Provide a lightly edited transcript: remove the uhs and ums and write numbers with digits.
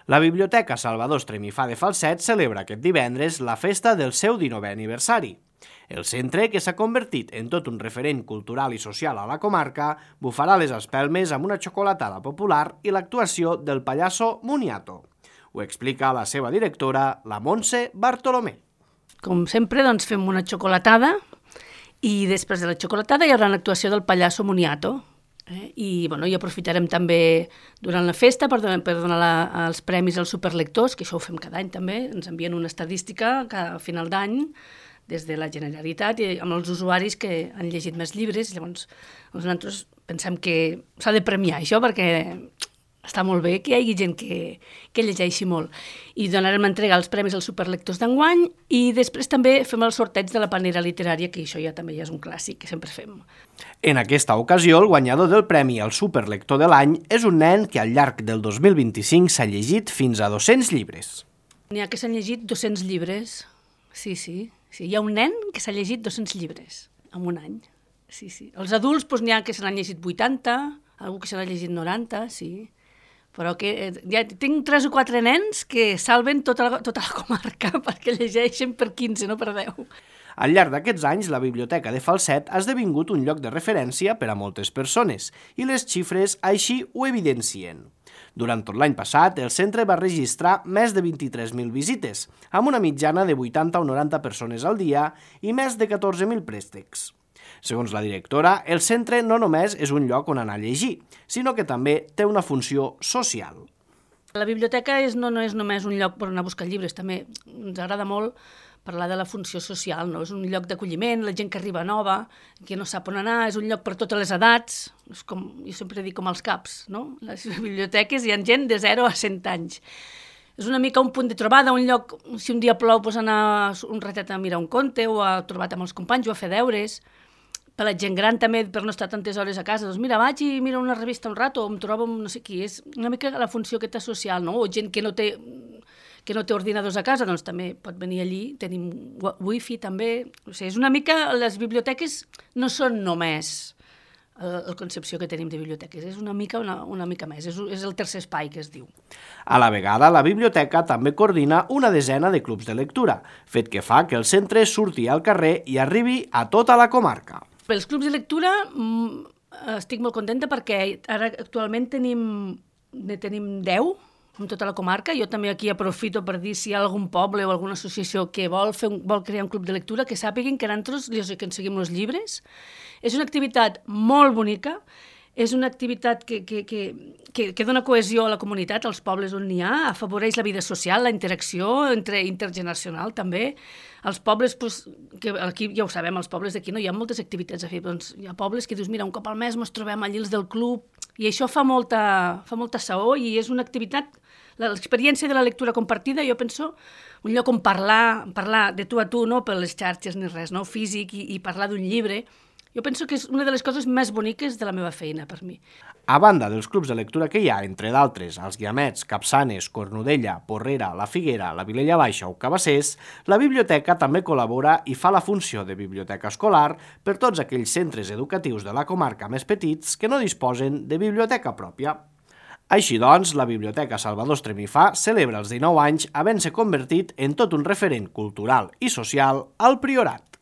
La Biblioteca Salvador Estremifà de Falset celebra aquest divendres la festa del seu 19è aniversari. El centre, que s'ha convertit en tot un referent cultural i social a la comarca, bufarà les espelmes amb una xocolatada popular i l'actuació del pallasso Moniato. Ho explica la seva directora, la Montse Bartolomé. Com sempre, doncs, fem una xocolatada i després de la xocolatada hi haurà una actuació del pallasso Moniato. I aprofitarem també durant la festa per donar els premis als superlectors, que això ho fem cada any també, ens envien una estadística a final d'any des de la Generalitat i amb els usuaris que han llegit més llibres. Llavors nosaltres pensem que s'ha de premiar això perquè està molt bé que hi hagi gent que llegeixi molt. I donarem entrega els premis als superlectors d'enguany i després també fem el sorteig de la panera literària, que això ja també és un clàssic que sempre fem. En aquesta ocasió, el guanyador del premi al superlector de l'any és un nen que al llarg del 2025 s'ha llegit fins a 200 llibres. N'hi ha que s'han llegit 200 llibres, sí. Hi ha un nen que s'ha llegit 200 llibres en un any, sí. Els adults n'hi ha que se n'han llegit 80, algú que se n'ha llegit 90, sí. Però que ja tinc 3 o 4 nens que salven tota la comarca perquè llegeixen per 15, no per 10. Al llarg d'aquests anys, la Biblioteca de Falset ha esdevingut un lloc de referència per a moltes persones i les xifres així ho evidencien. Durant tot l'any passat, el centre va registrar més de 23.000 visites, amb una mitjana de 80 o 90 persones al dia i més de 14.000 préstecs. Segons la directora, el centre no només és un lloc on anar a llegir, sinó que també té una funció social. La biblioteca no és només un lloc per anar a buscar llibres, també ens agrada molt parlar de la funció social, no? És un lloc d'acolliment, la gent que arriba nova, que no sap on anar, és un lloc per totes les edats, és com, jo sempre dic com els CAPs, no? Les biblioteques hi ha gent de 0 a 100 anys. És una mica un punt de trobada, un lloc, si un dia plou, doncs anar un ratet a mirar un conte o a trobar amb els companys o a fer deures. Per la gent gran també, per no estar tantes hores a casa, doncs mira, vaig i miro una revista un rato o em trobo amb no sé qui. És una mica la funció aquesta social, no? O gent que no té ordinadors a casa, doncs també pot venir allí, tenim wifi també. O sigui, és una mica, les biblioteques no són només la concepció que tenim de biblioteques, és una mica més, és el tercer espai que es diu. A la vegada, la biblioteca també coordina una desena de clubs de lectura, fet que fa que el centre surti al carrer i arribi a tota la comarca. Els clubs de lectura estic molt contenta perquè ara actualment tenim 10 en tota la comarca. Jo també aquí aprofito per dir si hi ha algun poble o alguna associació que vol crear un club de lectura, que sàpiguen que nosaltres els aconseguim els llibres. És una activitat molt bonica, és una activitat que dona cohesió a la comunitat, als pobles on n'hi ha, afavoreix la vida social, la interacció intergeneracional també. Els pobles, que aquí ja ho sabem, els pobles d'aquí no hi ha moltes activitats a fer, doncs hi ha pobles que dius, mira, un cop al mes ens trobem allí els del club, i això fa molta saó i és una activitat, l'experiència de la lectura compartida, jo penso, un lloc on parlar de tu a tu, no per les xarxes ni res, no? Físic i parlar d'un llibre. Jo penso que és una de les coses més boniques de la meva feina, per mi. A banda dels clubs de lectura que hi ha, entre d'altres, els Guiamets, Capçanes, Cornudella, Porrera, La Figuera, la Vilella Baixa o Cabassers, la biblioteca també col·labora i fa la funció de biblioteca escolar per tots aquells centres educatius de la comarca més petits que no disposen de biblioteca pròpia. Així doncs, la Biblioteca Salvador Estremifà celebra els 19 anys havent-se convertit en tot un referent cultural i social al Priorat.